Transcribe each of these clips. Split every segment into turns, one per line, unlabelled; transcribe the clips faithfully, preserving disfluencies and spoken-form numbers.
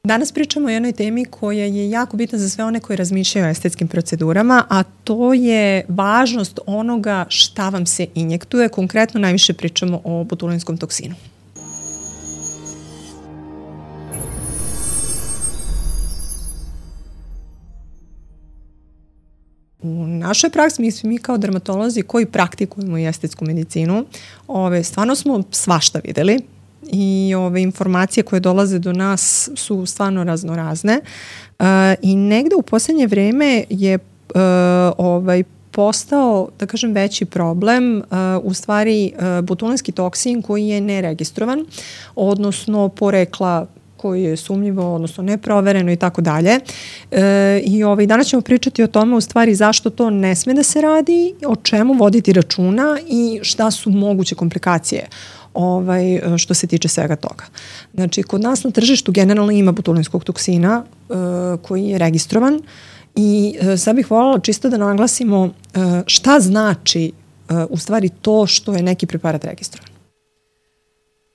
Danas pričamo o jednoj temi koja je jako bitna za sve one koji razmišljaju o estetskim procedurama, a to je važnost onoga šta vam se injektuje. Konkretno najviše pričamo o botulinskom toksinu. U našoj praksi, mi, mi kao dermatolozi koji praktikujemo i estetsku medicinu, ove, stvarno smo svašta videli i ove informacije koje dolaze do nas su stvarno raznorazne uh, i negde u poslednje vreme je uh, ovaj, postao, da kažem, veći problem uh, u stvari uh, botulinski toksin koji je neregistrovan, odnosno porekla koji je sumnjivo, odnosno neprovereno i tako dalje. I ovaj, danas ćemo pričati o tome u stvari zašto to ne sme da se radi, o čemu voditi računa i šta su moguće komplikacije ovaj, što se tiče svega toga. Znači, kod nas na tržištu generalno ima botulinskog toksina uh, koji je registrovan i uh, sad bih voljela čisto da naglasimo uh, šta znači uh, u stvari to što je neki preparat registrovan.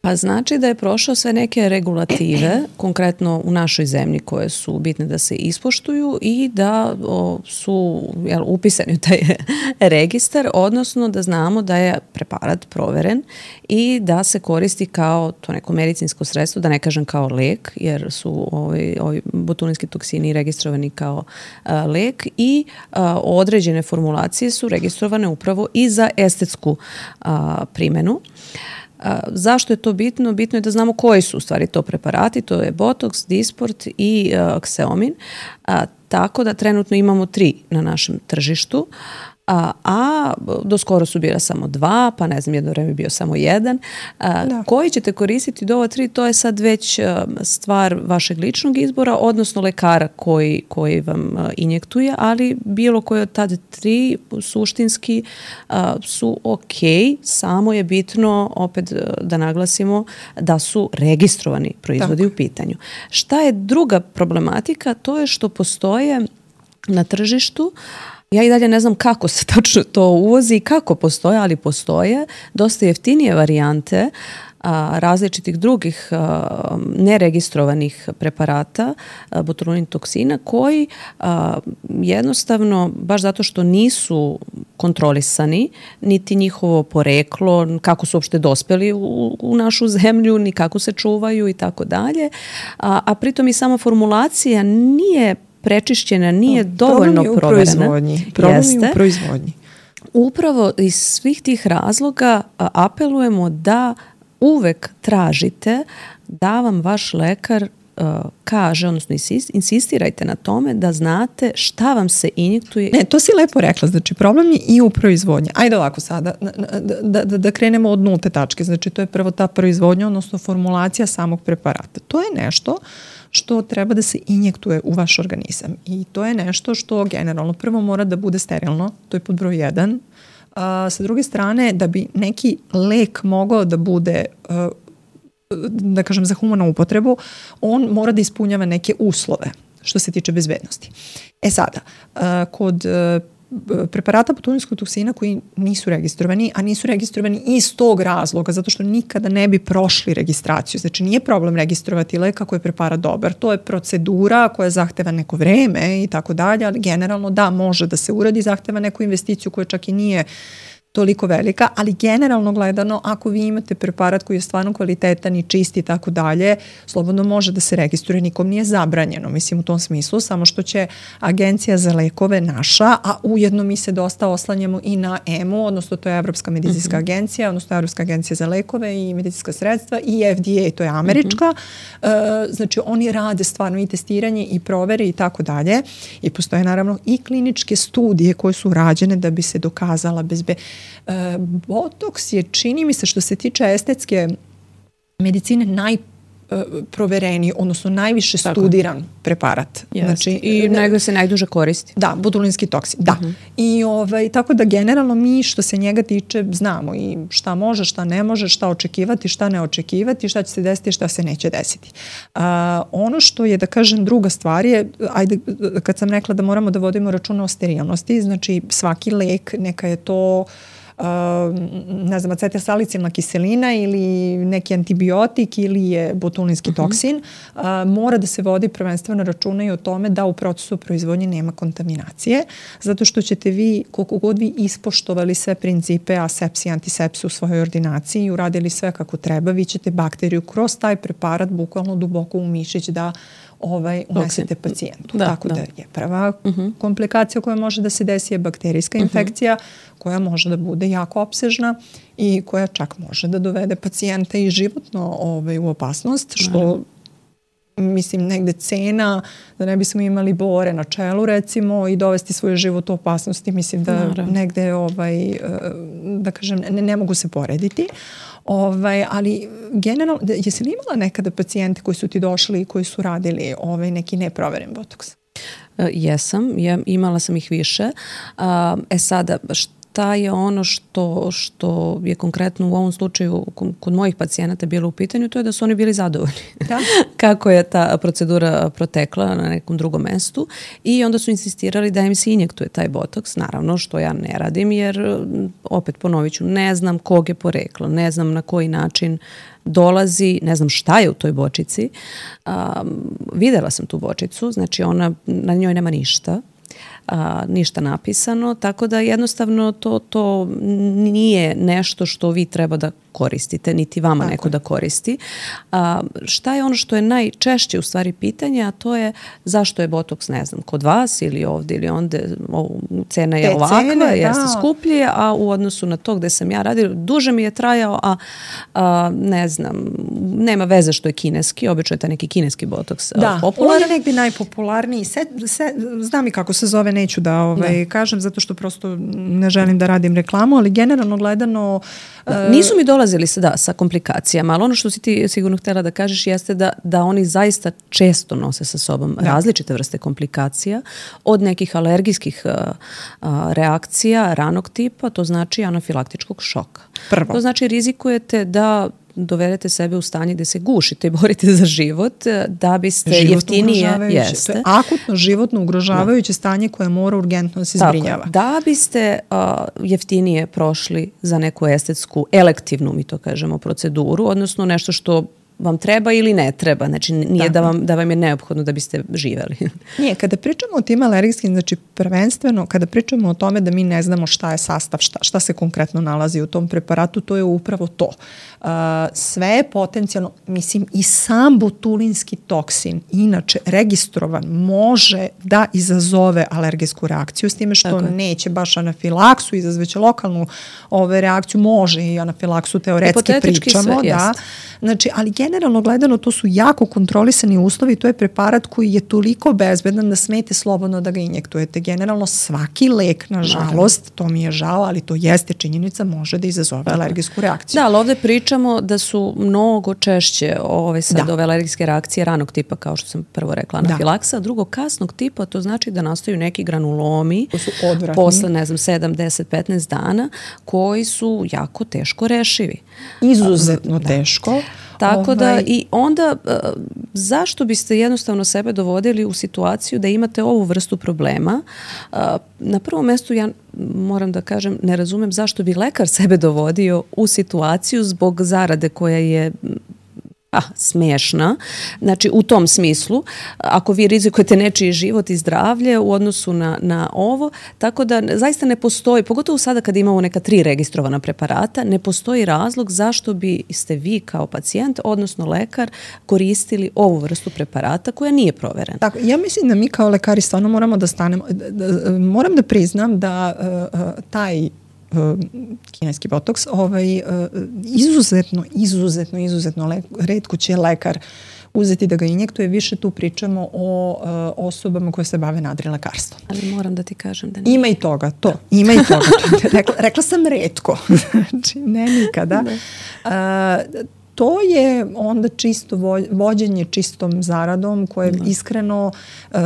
Pa znači da je prošao sve neke regulative, konkretno u našoj zemlji koje su bitne da se ispoštuju i da o, su jel, upisani u taj registar, odnosno da znamo da je preparat proveren i da se koristi kao to neko medicinsko sredstvo, da ne kažem kao lek, jer su ovi, ovi botulinski toksini registrovani kao a, lek i a, određene formulacije su registrovane upravo i za estetsku a, primenu. A, zašto je to bitno? Bitno je da znamo koji su u stvari to preparati, to je Botox, Dysport i uh, Xeomin, a, tako da trenutno imamo tri na našem tržištu, a, a do skoro su bila samo dva, pa ne znam, jedno vreme bio samo jedan. A, koji ćete koristiti do ova tri, to je sad već a, stvar vašeg ličnog izbora, odnosno lekara koji, koji vam a, injektuje, ali bilo koje od tad tri suštinski a, su ok, samo je bitno opet da naglasimo da su registrovani proizvodi Tako. u pitanju. Šta je druga problematika? To je što postoje na tržištu, ja i dalje ne znam kako se tačno to uvozi i kako postoje, ali postoje dosta jeftinije varijante a, različitih drugih a, neregistrovanih preparata a, botulin toksina koji a, jednostavno, baš zato što nisu kontrolisani, niti njihovo poreklo, kako su uopšte dospeli u, u našu zemlju, ni kako se čuvaju i tako dalje, a, a pritom i sama formulacija nije prečišćena, nije no, dovoljno proverena.
Problem je u proizvodnji. Problem je u proizvodnji.
Upravo iz svih tih razloga a, apelujemo da uvek tražite da vam vaš lekar a, kaže, odnosno insistirajte na tome da znate šta vam se injektuje.
Ne, to si lepo rekla, znači problem je i u proizvodnji. Ajde ovako sada, da, da, da krenemo od nulte tačke, znači to je prvo ta proizvodnja, odnosno formulacija samog preparata. To je nešto što treba da se injektuje u vaš organizam i to je nešto što generalno prvo mora da bude sterilno, to je pod broj jedan. A, sa druge strane, da bi neki lek mogao da bude, a, da kažem, za humanu upotrebu, on mora da ispunjava neke uslove što se tiče bezbednosti. E sada, a, kod a, preparata botulinskog toksina koji nisu registrovani, a nisu registrovani iz tog razloga, zato što nikada ne bi prošli registraciju. Znači nije problem registrovati lek ako je preparat dobar. To je procedura koja zahteva neko vreme i tako dalje, ali generalno da, može da se uradi, zahteva neku investiciju koja čak i nije toliko velika, ali generalno gledano, ako vi imate preparat koji je stvarno kvalitetan i čist i tako dalje, slobodno može da se registruje, nikom nije zabranjeno, mislim u tom smislu, samo što će Agencija za lekove naša, a ujedno mi se dosta oslanjamo i na E M U, odnosno to je Evropska medicinska mm-hmm. agencija, odnosno Evropska agencija za lekove i medicinska sredstva i F D A, to je američka, mm-hmm. uh, znači oni rade stvarno i testiranje i provere i tako dalje i postoje naravno i kliničke studije koje su rađene da bi se dokazala bezbe Uh, Botox je, čini mi se, što se tiče estetske medicine najprovereniji, uh, odnosno najviše Tako. studiran preparat.
Znači, i nego se najduže koristi.
Da, botulinski toksin, da. Uh-huh. I ovaj, tako da generalno mi što se njega tiče znamo i šta može, šta ne može, šta očekivati, šta ne očekivati, šta će se desiti, šta se neće desiti. Uh, ono što je, da kažem, druga stvar je, ajde, kad sam rekla da moramo da vodimo računa o sterilnosti, znači svaki lek, neka je to ne znam, acetilsalicilna kiselina ili neki antibiotik ili je botulinski toksin, uh, mora da se vodi prvenstveno računa i o tome da u procesu proizvodnje nema kontaminacije, zato što ćete vi, koliko god vi ispoštovali sve principe asepsije i antisepsije u svojoj ordinaciji i uradili sve kako treba, vi ćete bakteriju kroz taj preparat bukvalno duboko u mišić da ovaj, unesete pacijentu. Da, Tako da. da je prva uh-huh. komplikacija koja može da se desi je bakterijska infekcija uh-huh. koja može da bude jako opsežna i koja čak može da dovede pacijenta i životno ovaj, u opasnost, što Naravno. mislim negde cena da ne bismo imali bore na čelu recimo i dovesti svoj život u opasnosti, mislim da Naravno. negde ovaj, da kažem ne, ne mogu se porediti. Ovaj, ali generalno, jesi li imala nekada pacijente koji su ti došli i koji su radili ovaj, neki neproveren botoks?
Uh, jesam, ja, imala sam ih više. Uh, e sada, šta je ono što, što je konkretno u ovom slučaju kod mojih pacijenata bilo u pitanju, to je da su oni bili zadovoljni. Da. Kako je ta procedura protekla na nekom drugom mestu i onda su insistirali da im se injektuje taj botoks, naravno što ja ne radim jer opet ponovit ću, ne znam kog je porekla, ne znam na koji način dolazi, ne znam šta je u toj bočici. Um, videla sam tu bočicu, znači ona, na njoj nema ništa. A, ništa napisano, tako da jednostavno to, to nije nešto što vi treba da koristite, niti vama tako neko da koristi. A, šta je ono što je najčešće u stvari pitanje, a to je zašto je botoks, ne znam, kod vas ili ovde ili onde, o, cena je Te ovakva, cene, jeste da. skuplje, a u odnosu na to gde sam ja radila, duže mi je trajao, a, a ne znam, nema veze što je kineski, obično je taj neki kineski botoks
da,
popularan.
Da, on je negdje najpopularniji. Se, se, znam i kako se zove, neću da ovaj, da. kažem, zato što prosto ne želim da radim reklamu, ali generalno gledano...
Uh, Nisu mi dolazili sa, da, sa komplikacijama, ali ono što si ti sigurno htjela da kažeš jeste da, da oni zaista često nose sa sobom da. različite vrste komplikacija, od nekih alergijskih uh, uh, reakcija ranog tipa, to znači anafilaktičkog šoka.
Prvo.
To znači rizikujete da dovedete sebe u stanje gdje se gušite i borite za život da biste životno jeftinije jeste.
To je akutno životno ugrožavajuće da. stanje koje mora urgentno da se Tako, zbrinjava.
Da biste uh, jeftinije prošli za neku estetsku, elektivnu, mi to kažemo, proceduru, odnosno nešto što vam treba ili ne treba. Znači nije da vam, da vam je neophodno da biste živeli.
Nije, kada pričamo o tim alergijskim, znači prvenstveno kada pričamo o tome da mi ne znamo šta je sastav, šta, šta se konkretno nalazi u tom preparatu, to je upravo to. Uh, sve je potencijalno, mislim i sam botulinski toksin, inače registrovan, može da izazove alergijsku reakciju, s time što Tako. neće baš anafilaksu, izazveće lokalnu ove, reakciju, može i anafilaksu teoretski pričamo. Sve, da. Znači, ali generalno gledano to su jako kontrolisani uslovi, to je preparat koji je toliko bezbedan da smete slobodno da ga injektujete. Generalno svaki lek, nažalost, to mi je žao, ali to jeste činjenica, može da izazove Tako. alergijsku reakciju.
Da, ali ovdje pričamo da su mnogo češće ove sad da. ove alergijske reakcije ranog tipa, kao što sam prvo rekla, anafilaksa, a drugo kasnog tipa, to znači da nastaju neki granulomi posle, ne znam, sedam, deset, petnaest dana, koji su jako teško rešivi.
Izuzetno da. teško.
Tako ovaj. da i onda zašto biste jednostavno sebe dovodili u situaciju da imate ovu vrstu problema? Na prvom mjestu ja moram da kažem, ne razumem zašto bi lekar sebe dovodio u situaciju zbog zarade koja je ah, smiješna. Znači u tom smislu, ako vi rizikujete nečiji život i zdravlje u odnosu na, na ovo, tako da zaista ne postoji, pogotovo sada kad imamo neka tri registrovana preparata, ne postoji razlog zašto biste vi kao pacijent, odnosno lekar, koristili ovu vrstu preparata koja nije proverena.
Tako, ja mislim da mi kao lekari stvarno moramo da stanemo, da, da, moram da priznam da uh, uh, taj Uh, kineski botoks, ovaj, uh, izuzetno, izuzetno, izuzetno le, retko će lekar uzeti da ga injektuje. Više tu pričamo o uh, osobama koje se bave nadrilekarstvom.
Ali moram da ti kažem da nije.
Ima i toga, to. Da. Ima i toga. rekla, rekla sam retko. Znači, ne nikada. Da. Uh, To je onda čisto vođenje čistom zaradom koje da. iskreno uh,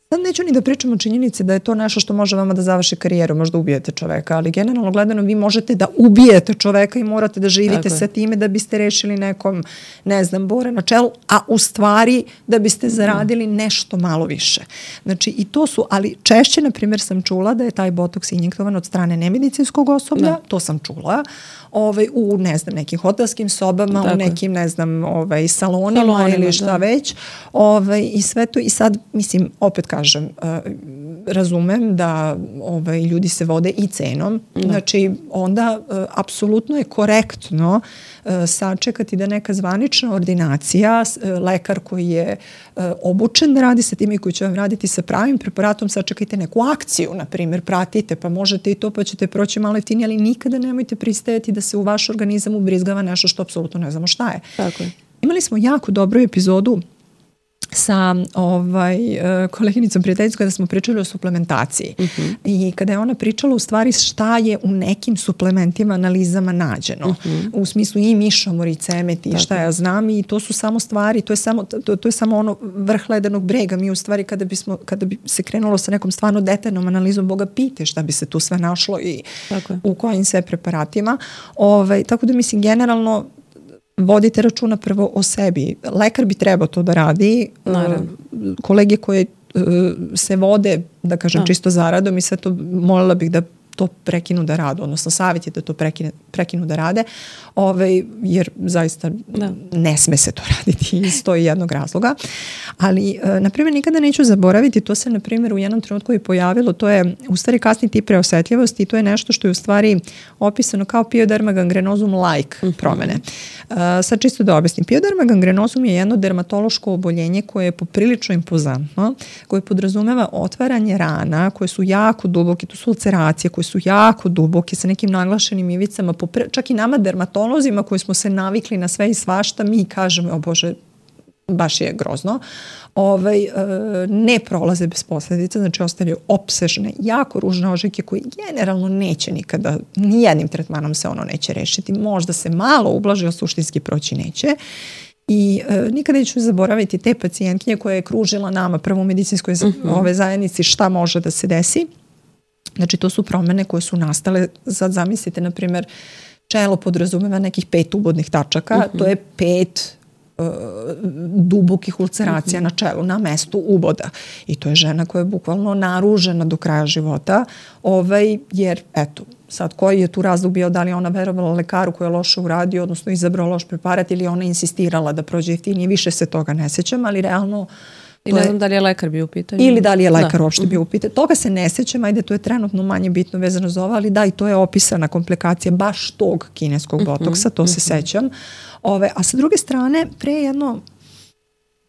Sad neću ni da pričam o činjenici da je to nešto što može vama da završi karijeru, možda ubijete čoveka, ali generalno gledano vi možete da ubijete čoveka i morate da živite sa time da biste rešili nekom, ne znam, bore na čelu, a u stvari da biste zaradili nešto malo više. Znači i to su, ali češće, na primjer, sam čula da je taj botoks injektovan od strane nemedicinskog osoblja, da. To sam čula, ovaj, u, ne znam, nekim hotelskim sobama, tako u nekim, ne znam, ovaj, salonima, salonima ili šta da. već, ovaj, i sve to, i sad, mislim, opet kažem, uh, razumem da ovaj, ljudi se vode i cenom, da. Znači onda uh, apsolutno je korektno uh, sačekati da neka zvanična ordinacija, uh, lekar koji je uh, obučen da radi sa tim i koji će vam raditi sa pravim preparatom, sačekajte neku akciju, na primjer, pratite, pa možete i to, pa ćete proći malo jeftinije, ali nikada nemojte pristajati da se u vaš organizam ubrizgava nešto što apsolutno ne znamo šta je.
Tako je.
Imali smo jako dobru epizodu sa ovaj, koleginicom prijateljicom kada smo pričali o suplementaciji. Uh-huh. I kada je ona pričala u stvari šta je u nekim suplementima, analizama nađeno. Uh-huh. U smislu i mišomor i cemet i šta ja znam, i to su samo stvari, to je samo, to, to je samo ono vrh ledenog brega. Mi u stvari kada, bismo, kada bi se krenulo sa nekom stvarno detaljnom analizom, Boga pite šta bi se tu sve našlo i u kojim sve preparatima. Ovaj, tako da mislim generalno vodite računa prvo o sebi. Lekar bi trebao to da radi. Naravno. Kolege koje se vode, da kažem, da. čisto zaradom i sve to, molila bih da to prekinu da rade, odnosno savjet je da to prekine, prekinu da rade, ovaj, jer zaista da. ne sme se to raditi iz to jednog razloga. Ali, na primjer, nikada neću zaboraviti, to se, na primjer, u jednom trenutku i pojavilo, to je u stvari kasni tip preosetljivosti i to je nešto što je u stvari opisano kao pioderma gangrenozum like uh-huh. promene. Uh, sad čisto da objasnim. Pioderma gangrenozum je jedno dermatološko oboljenje koje je poprilično impozantno, koje podrazumeva otvaranje rana koje su jako duboke, to su ulceracije koje su jako duboke sa nekim naglašenim ivicama, popre, čak i nama dermatolozima koji smo se navikli na sve i svašta, mi kažemo, o Bože, baš je grozno, ovaj, e, ne prolaze bez posljedica, znači ostavljaju opsežne, jako ružne ožiljke koje generalno neće nikada, nijednim tretmanom se ono neće rešiti, možda se malo ublaži, ali suštinski proći neće. I e, nikada neću zaboraviti te pacijentkinje koja je kružila nama prvo u medicinskoj uh-huh. ove zajednici šta može da se desi. Znači to su promene koje su nastale, sad zamislite, na primjer, čelo podrazumeva nekih pet ubodnih tačaka, uh-huh. to je pet uh, dubokih ulceracija uh-huh. na čelu, na mestu uboda. I to je žena koja je bukvalno naružena do kraja života, ovaj, jer, eto, sad koji je tu razlog bio, da li ona verovala lekaru koji je loše uradio, odnosno izabrao loš preparat, ili ona insistirala da prođe jeftinije, više se toga ne sećam, ali realno
I ne znam da li je lekar bio u pitanju.
Ili da li je lekar da. uopšte bio u pitanju. Toga se ne sećam, ajde, to je trenutno manje bitno vezano za ovo, ali da, i to je opisana komplikacija baš tog kineskog botoksa, to se sećam. Ove, a sa druge strane, pre jedno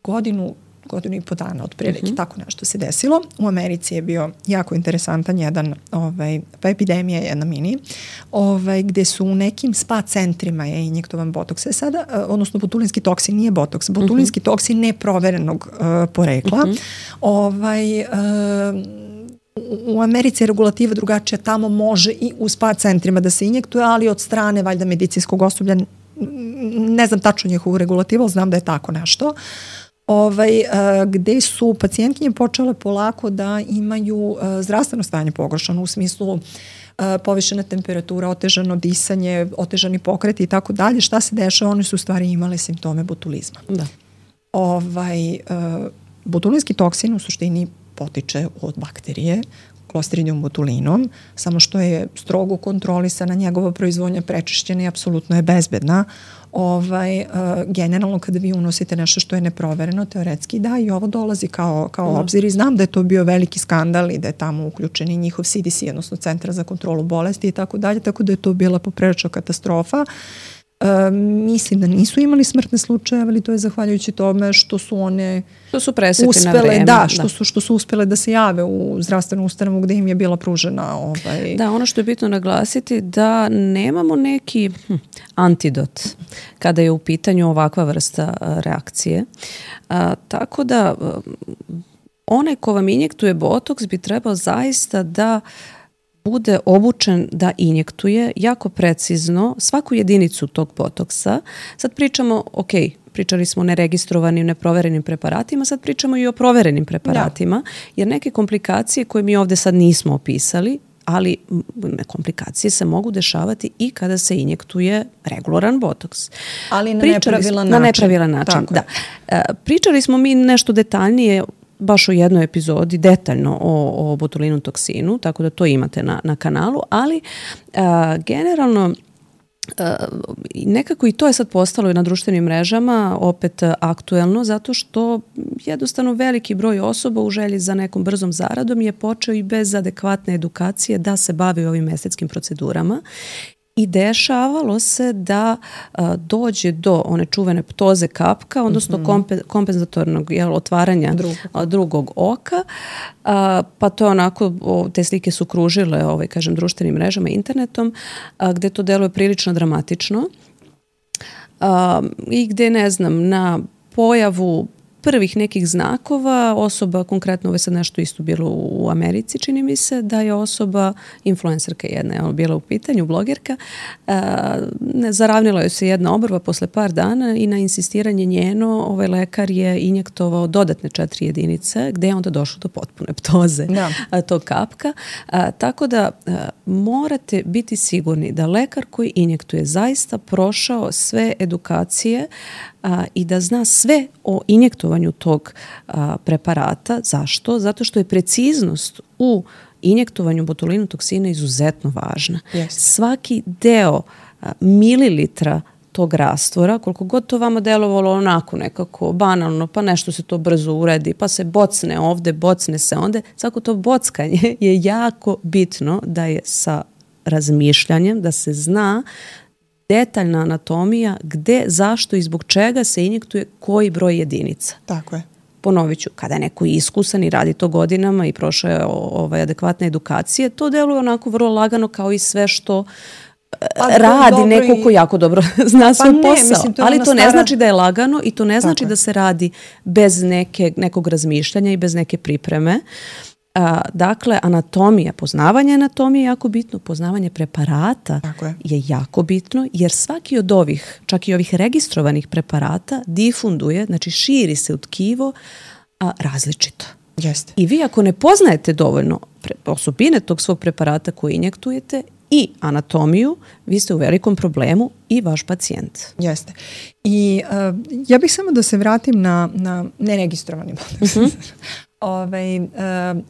godinu, godinu i po dana otprilike, uh-huh. tako nešto se desilo. U Americi je bio jako interesantan jedan, ovaj, pa epidemija jedna mini, ovaj, gde su u nekim spa centrima je injektovan botoks. E sada, odnosno botulinski toksin, nije botoks, botulinski uh-huh. toksin neproverenog uh, porekla. Uh-huh. Ovaj, uh, u Americi je regulativa drugačija, tamo može i u spa centrima da se injektuje, ali od strane valjda medicinskog osoblja, ne znam tačno njihovu regulativu, ali znam da je tako nešto. Ovaj, gde su pacijentkinje počele polako da imaju zdravstveno stanje pogoršano u smislu povišena temperatura, otežano disanje, otežani pokreti i tako dalje. Šta se dešava? One su u stvari imale simptome botulizma. Da. Ovaj, botulinski toksin u suštini potiče od bakterije, Clostridium botulinum, samo što je strogo kontrolisana njegova proizvodnja, prečišćena i apsolutno je bezbedna. Ovaj, uh, generalno kada vi unosite nešto što je neprovereno, teoretski da, i ovo dolazi kao, kao mm. obzir, i znam da je to bio veliki skandal i da je tamo uključen i njihov C D C, odnosno Centar za kontrolu bolesti i tako dalje, tako da je to bila poprilična katastrofa. Uh, mislim da nisu imali smrtne slučajeve, ali to je zahvaljujući tome što su one
što su presekli
uspele,
na vreme.
Da, što, da. Su, što su uspele da se jave u zdravstvenu ustanovu gde im je bila pružena. Ovaj...
Da, ono što je bitno naglasiti da nemamo neki hm, antidot kada je u pitanju ovakva vrsta reakcije. A, tako da onaj ko vam injektuje botoks bi trebao zaista da bude obučen da injektuje jako precizno svaku jedinicu tog botoksa. Sad pričamo, ok, pričali smo o neregistrovanim, neproverenim preparatima, sad pričamo i o proverenim preparatima, da. Jer neke komplikacije koje mi ovde sad nismo opisali, ali komplikacije se mogu dešavati i kada se injektuje regularan botoks.
Ali na
Pričali
nepravilan
smo,
način.
Na nepravilan način, da. E, pričali smo mi nešto detaljnije baš u jednoj epizodi detaljno o, o botulinum toksinu, tako da to imate na, na kanalu, ali a, generalno a, nekako i to je sad postalo na društvenim mrežama opet aktuelno, zato što jednostavno veliki broj osoba u želji za nekom brzom zaradom je počeo i bez adekvatne edukacije da se bavi ovim estetskim procedurama. I dešavalo se da a, dođe do one čuvene ptoze kapka, odnosno mm-hmm. kompe, kompenzatornog jel, otvaranja drugog, a, drugog oka. A, pa to je onako, o, te slike su kružile ovaj, kažem, društvenim mrežama, internetom, a, gde to deluje prilično dramatično. A, I gde, ne znam, na pojavu prvih nekih znakova osoba, konkretno ovo je sad nešto isto bilo u Americi, čini mi se, da je osoba, influencerka jedna je bila u pitanju, blogerka, a, ne, zaravnila joj se jedna obrva posle par dana i na insistiranje njeno ovaj lekar je injektovao dodatne četiri jedinice gde je onda došlo do potpune ptoze da. a, tog kapka. A, tako da a, morate biti sigurni da lekar koji injektuje zaista prošao sve edukacije a, i da zna sve o injektovanju tog a, preparata. Zašto? Zato što je preciznost u injektovanju botulinum toksina izuzetno važna.
Yes.
Svaki deo a, mililitra tog rastvora, koliko god to vama delovalo onako nekako banalno, pa nešto se to brzo uredi, pa se bocne ovde, bocne se onde, svako to bockanje je jako bitno da je sa razmišljanjem, da se zna detaljna anatomija gde, zašto i zbog čega se injektuje koji broj jedinica.
Tako je.
Ponovit ću, kada je neko iskusan i radi to godinama i prošao je ovaj, adekvatne edukacije, to deluje onako vrlo lagano kao i sve što pa, radi neko i... ko jako dobro zna svoj pa posao. Mislim, to ali to stara... ne znači da je lagano i to ne znači Tako da se radi bez neke, nekog razmišljanja i bez neke pripreme. A, dakle, anatomija, poznavanje anatomije je jako bitno, poznavanje preparata je. je jako bitno, jer svaki od ovih, čak i ovih registrovanih preparata, difunduje, znači širi se u tkivo a, različito.
Jeste.
I vi ako ne poznajete dovoljno pre, osobine tog svog preparata koji injektujete i anatomiju, vi ste u velikom problemu i vaš pacijent.
Jeste. I uh, ja bih samo da se vratim na, na neregistrovani botoks. Mm-hmm. Ovaj, uh,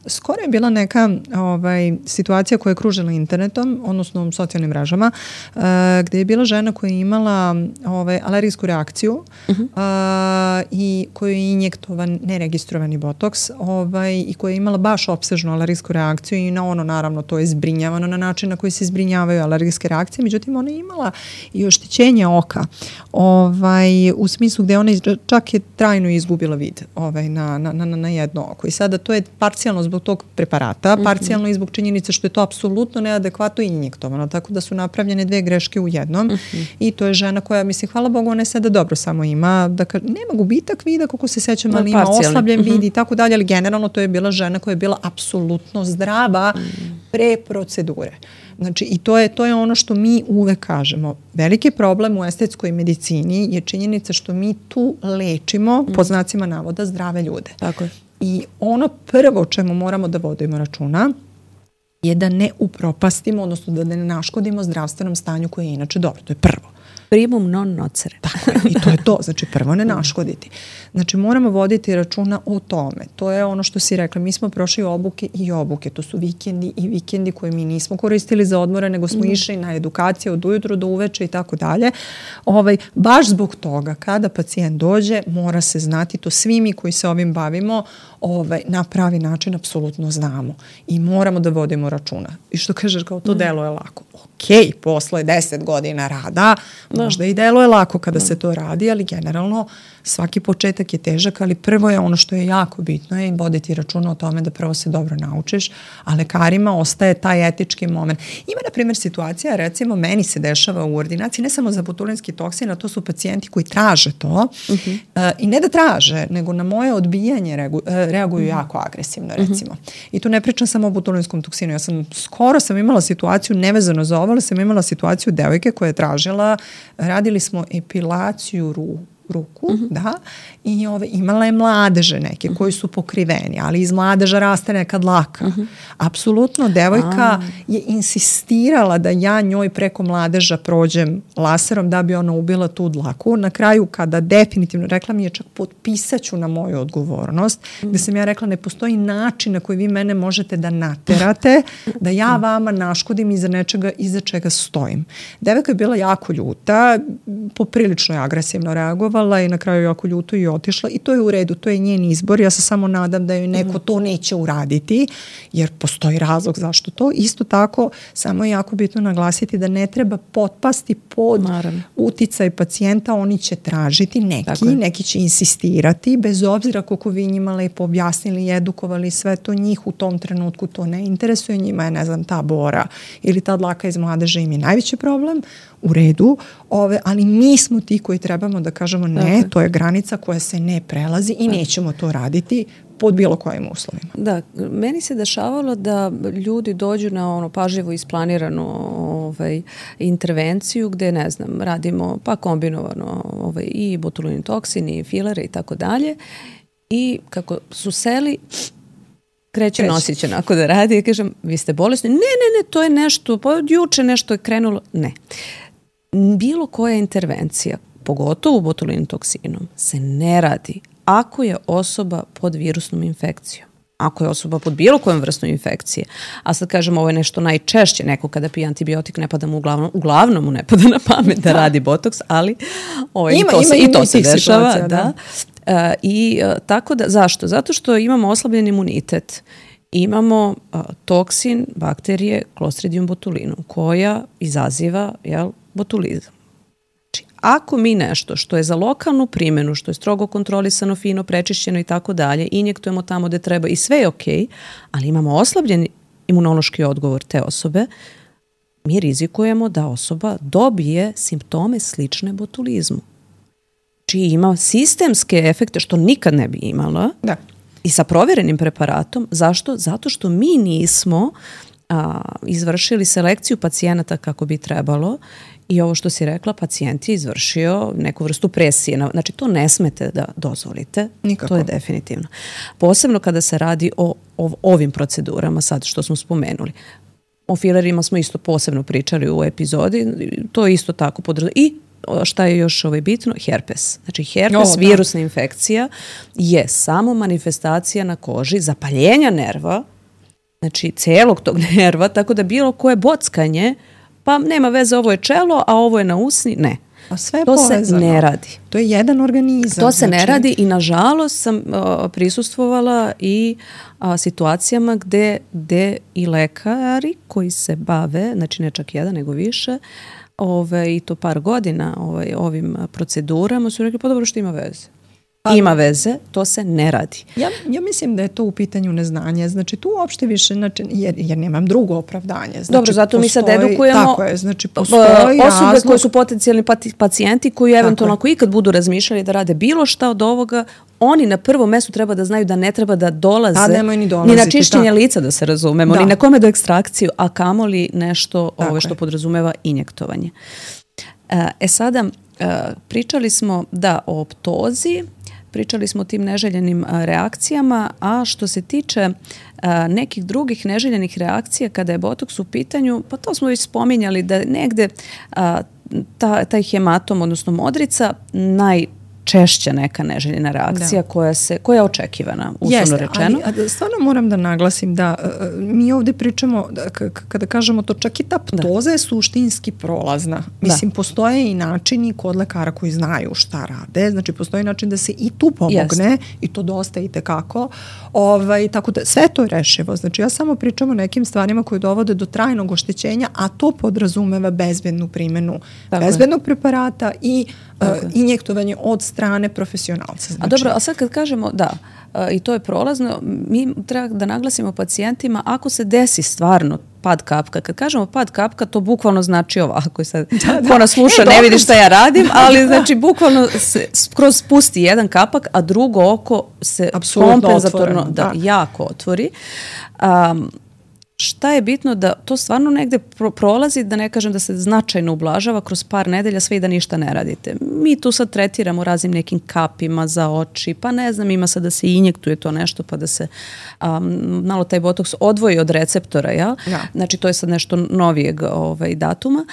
skoro je bila neka ovaj, situacija koja je kružila internetom, odnosno socijalnim mrežama, uh, gde je bila žena koja je imala ovaj, alergijsku reakciju uh-huh. uh, i koju je injektovan neregistrovani botoks ovaj, i koja je imala baš opsežnu alergijsku reakciju i na ono naravno to je zbrinjavano na način na koji se zbrinjavaju alergijske reakcije, međutim ona je imala i oštećenje oka ovaj, u smislu gde ona čak je trajno izgubila vid ovaj, na, na, na, na jedno oko. I sada to je parcijalno zbog tog preparata, mm-hmm. parcijalno i zbog činjenice što je to apsolutno neadekvatno injektovano, tako da su napravljene dve greške u jednom mm-hmm. i to je žena koja, mislim, hvala Bogu, ona je sada dobro samo ima, da ka, nema gubitak vida, kako se sećam, ali ima oslabljen mm-hmm. vid i tako dalje, ali generalno to je bila žena koja je bila apsolutno zdrava mm-hmm. pre procedure. Znači, i to je, to je ono što mi uvek kažemo. Veliki problem u estetskoj medicini je činjenica što mi tu lečimo, mm. po znacima navoda, zdrave ljude.
Tako je.
I ono prvo čemu moramo da vodimo računa je da ne upropastimo, odnosno da ne naškodimo zdravstvenom stanju koje je inače dobro. To je prvo.
Primum non nocere.
Tako je, i to je to. Znači, prvo ne naškoditi. Znači, moramo voditi računa o tome. To je ono što si rekla. Mi smo prošli obuke i obuke. To su vikendi i vikendi koje mi nismo koristili za odmore, nego smo mm. išli na edukaciju od ujutru do uveče i tako dalje. Ovaj, baš zbog toga, kada pacijent dođe, mora se znati, to svi mi koji se ovim bavimo, ovaj, na pravi način apsolutno znamo. I moramo da vodimo računa. I što kažeš, kao to mm. delo je lako. Ok, posle deset godina rada, Da. Možda i deluje lako kada da. se to radi, ali generalno svaki početak je težak, ali prvo je ono što je jako bitno je voditi računa o tome da prvo se dobro naučiš, a lekarima ostaje taj etički moment. Ima, na primjer, situacija, recimo, meni se dešava u ordinaciji, ne samo za botulinski toksin, a to su pacijenti koji traže to uh-huh. uh, i ne da traže, nego na moje odbijanje reagu, uh, reaguju uh-huh. jako agresivno, recimo. Uh-huh. I tu ne pričam samo o botulinskom toksinu. Ja sam, skoro sam imala situaciju, nevezano za ovo, ali sam imala situaciju devojke koja je tražila, radili smo epilaciju ruku, ruku, uh-huh. da, i ove, imala je mladeže neke uh-huh. koji su pokriveni, ali iz mladeža raste neka dlaka. Uh-huh. Apsolutno, devojka A. je insistirala da ja njoj preko mladeža prođem laserom da bi ona ubila tu dlaku. Na kraju, kada definitivno, rekla mi je čak potpisaću na moju odgovornost, uh-huh. gde sam ja rekla ne postoji način na koji vi mene možete da naterate, da ja vama naškodim iza nečega, iza čega stojim. Devojka je bila jako ljuta, poprilično je agresivno reagovala i na kraju jako ljuto i otišla i to je u redu, to je njen izbor. Ja se samo nadam da joj neko to neće uraditi, jer postoji razlog zašto to. Isto tako, samo je jako bitno naglasiti da ne treba potpasti pod Naravno. uticaj pacijenta, oni će tražiti, neki, neki će insistirati, bez obzira koliko vi njima lepo objasnili i edukovali sve to, njih u tom trenutku to ne interesuje, njima je, ne znam, ta bora ili ta dlaka iz mladeže im je najveći problem, u redu, ove, ali mi smo ti koji trebamo da kažemo ne, dakle. to je granica koja se ne prelazi i nećemo to raditi pod bilo kojim uslovima.
Da, meni se dešavalo da ljudi dođu na ono pažljivo isplaniranu ovaj, intervenciju gde, ne znam, radimo pa kombinovano ovaj, i botulin toksin i filere i tako dalje i kako su seli kreće nosić onako da radi i kažem, vi ste bolesni? Ne, ne, ne, to je nešto, pa od juče nešto je krenulo. Ne. Bilo koja intervencija, pogotovo botulinom toksinom, se ne radi ako je osoba pod virusnom infekcijom. Ako je osoba pod bilo kojom vrstom infekcije, a sad kažem ovo je nešto najčešće, neko kada pije antibiotik ne pada mu uglavnom, uglavnom mu ne pada na pamet da, da radi botoks, ali ovaj, ima, i to, ima, se, ima, i to se dešava. Da. Da. Uh, I uh, tako da, zašto? Zato što imamo oslabljen imunitet. Imamo uh, toksin bakterije Clostridium botulinum koja izaziva jel, botulizam. Znači, ako mi nešto što je za lokalnu primjenu, što je strogo kontrolisano, fino, prečišćeno i tako dalje, injektujemo tamo gde treba i sve je okej, okay, ali imamo oslabljen imunološki odgovor te osobe, mi rizikujemo da osoba dobije simptome slične botulizmu. Znači ima sistemske efekte što nikad ne bi imala. Da. I sa provjerenim preparatom. Zašto? Zato što mi nismo a, izvršili selekciju pacijenata kako bi trebalo i ovo što si rekla, pacijent je izvršio neku vrstu presije. Znači to ne smete da dozvolite. Nikako. To je definitivno. Posebno kada se radi o, o ovim procedurama sad što smo spomenuli. O filerima smo isto posebno pričali u epizodi. To je isto tako podrazumijeva. I šta je još ovaj bitno? Herpes. Znači herpes, o, virusna infekcija je samo manifestacija na koži zapaljenja nerva, znači celog tog nerva, tako da bilo koje bockanje, pa nema veze, ovo je čelo, a ovo je na usni, ne.
A sve
to povezano. Se ne radi.
To je jedan organizam.
To se znači... ne radi i nažalost sam uh, prisustvovala i uh, situacijama gde, gde i lekari koji se bave, znači ne čak jedan nego više, Ove, i to par godina ovaj, ovim procedurama su rekli, pa dobro što ima veze. Pa, ima veze, to se ne radi.
Ja, ja mislim da je to u pitanju neznanja. Znači tu uopšte više, znači, jer, jer nemam drugo opravdanje. Znači,
dobro, zato
postoji,
mi sad edukujemo
tako je, znači, postoji
osobe
razlog...
koje su potencijalni pacijenti koji eventualno ako ikad budu razmišljali da rade bilo šta od ovoga, oni na prvom mestu treba da znaju da ne treba da dolaze
ni,
ni na čišćenje tako. lica, da se razumemo, da. ni na kome do ekstrakciju, a kamoli nešto ove, što podrazumeva injektovanje. E sada, pričali smo da o optozi, pričali smo o tim neželjenim reakcijama, a što se tiče nekih drugih neželjenih reakcija kada je botoks u pitanju, pa to smo već spominjali da negde ta, taj hematom, odnosno modrica, naj češća neka neželjena reakcija
da.
koja se koja je očekivana, uslovno rečeno.
Ali, ali stvarno moram da naglasim da uh, mi ovde pričamo, da, k- kada kažemo to, čak i ta ptoza da. je suštinski prolazna. Mislim, da. postoje i načini kod lekara koji znaju šta rade, znači postoji način da se i tu pomogne Jest. i to dosta i tekako. Ovaj, tako da sve to je rešivo. Znači ja samo pričam o nekim stvarima koje dovode do trajnog oštećenja, a to podrazumeva bezbednu primjenu tako bezbednog je. preparata i uh, injektovanje od strane profesionalca. Znači.
A dobro, a sad kad kažemo da, uh, i to je prolazno, mi treba da naglasimo pacijentima ako se desi stvarno pad kapka. Kad kažemo pad kapka, to bukvalno znači ovako. Sad, da, da. Ko nas sluša, e, ne vidi šta ja radim, ali znači bukvalno se kroz spusti jedan kapak, a drugo oko se kompenzatorno da, da. jako otvori. Um, Šta je bitno da to stvarno negde pro- prolazi, da ne kažem da se značajno ublažava kroz par nedelja sve i da ništa ne radite. Mi tu sad tretiramo raznim nekim kapima za oči, pa ne znam, ima sad da se injektuje to nešto pa da se um, malo taj botoks odvoji od receptora, ja? Ja. Znači to je sad nešto novijeg ovaj, datuma,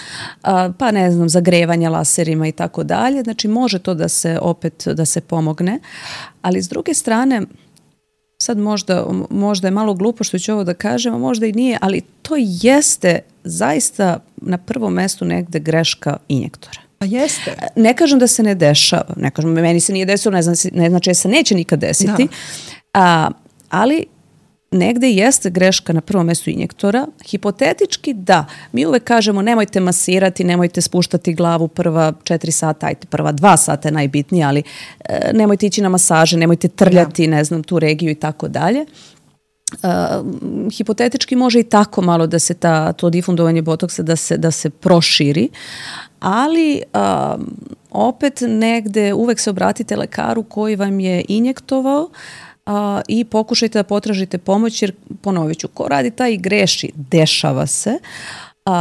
uh, pa ne znam, zagrevanja laserima i tako dalje. Znači može to da se opet da se pomogne, ali s druge strane sad možda, možda je malo glupo što ću ovo da kažem, a možda i nije, ali to jeste zaista na prvom mestu negde greška injektora.
A jeste.
Ne kažem da se ne dešava, ne kažem, meni se nije desilo, ne, znači, ne znači da se neće nikad desiti, a, ali negde jeste greška na prvom mestu injektora. Hipotetički da, mi uvek kažemo nemojte masirati, nemojte spuštati glavu prva četiri sata, ajte prva dva sata je najbitnije, ali e, nemojte ići na masaže, nemojte trljati, ne znam, tu regiju i tako dalje. Uh, hipotetički može i tako malo da se ta, to difundovanje botoksa da se, da se proširi, ali uh, opet negde uvek se obratite lekaru koji vam je injektovao Uh, i pokušajte da potražite pomoć, jer ponovit ću, ko radi taj i greši, dešava se, uh,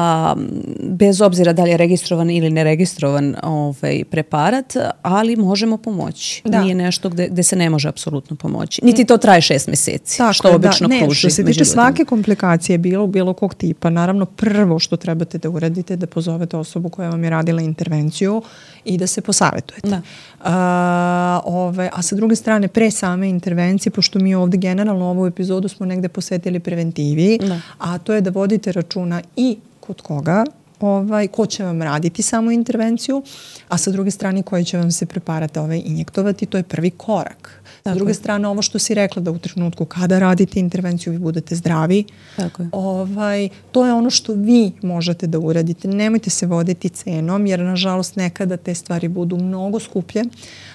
bez obzira da li je registrovan ili neregistrovan ovaj, preparat, ali možemo pomoći. Da. Nije nešto gde, gde se ne može apsolutno pomoći. Niti to traje šest meseci, tako što je, obično da. kruži.
Što se tiče svake komplikacije bilo, bilo kog tipa, naravno prvo što trebate da uradite da pozovete osobu koja vam je radila intervenciju i da se posavetujete. Da. A, ove, a sa druge strane, pre same intervencije, pošto mi ovde generalno ovu epizodu smo negde posvetili preventivi, da. a to je da vodite računa i kod koga, ovaj, ko će vam raditi samu intervenciju, a sa druge strane koji će vam se preparat ovaj, injektovati, to je prvi korak. Tako s druge je. strane, ovo što si rekla da u trenutku kada radite intervenciju vi budete zdravi, Tako je. Ovaj, to je ono što vi možete da uradite. Nemojte se voditi cenom, jer nažalost nekada te stvari budu mnogo skuplje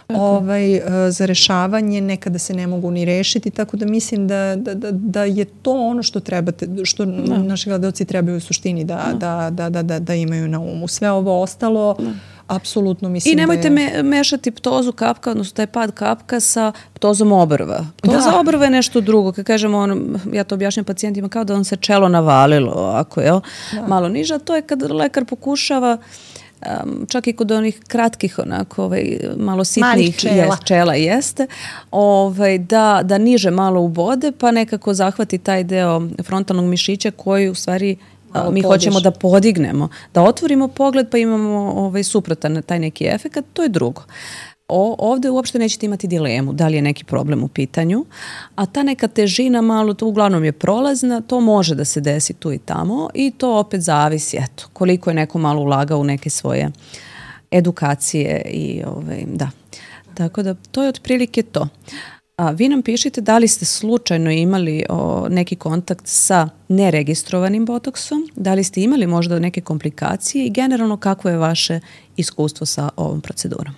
ovaj, za rešavanje, nekada se ne mogu ni rešiti, tako da mislim da, da, da, da je to ono što trebate, što no. naši gledalci trebaju u suštini da, no. da, da, da, da, da imaju na umu. Sve ovo ostalo no. apsolutno mislim da je...
I nemojte me, mešati ptozu kapka, odnosno taj pad kapka sa ptozom obrva. Ptoza da. obrva je nešto drugo. Kad kažemo, on, ja to objašnjam pacijentima kao da on se čelo navalilo, ako je da. malo niža. To je kad lekar pokušava Um, čak i kod onih kratkih onako ovaj, malo sitnih čela. Jest, čela jeste ovaj, da, da niže malo ubode pa nekako zahvati taj deo frontalnog mišića koji u stvari malo mi podiš. hoćemo da podignemo, da otvorimo pogled pa imamo ovaj, suprotan taj neki efekat, to je drugo. O, ovde uopšte nećete imati dilemu da li je neki problem u pitanju, a ta neka težina malo, to uglavnom je prolazna, to može da se desi tu i tamo i to opet zavisi, eto, koliko je neko malo ulagao u neke svoje edukacije i ovaj, da. Tako da to je otprilike to. A vi nam pišite da li ste slučajno imali o, neki kontakt sa neregistrovanim botoksom, da li ste imali možda neke komplikacije i generalno kako je vaše iskustvo sa ovom procedurom.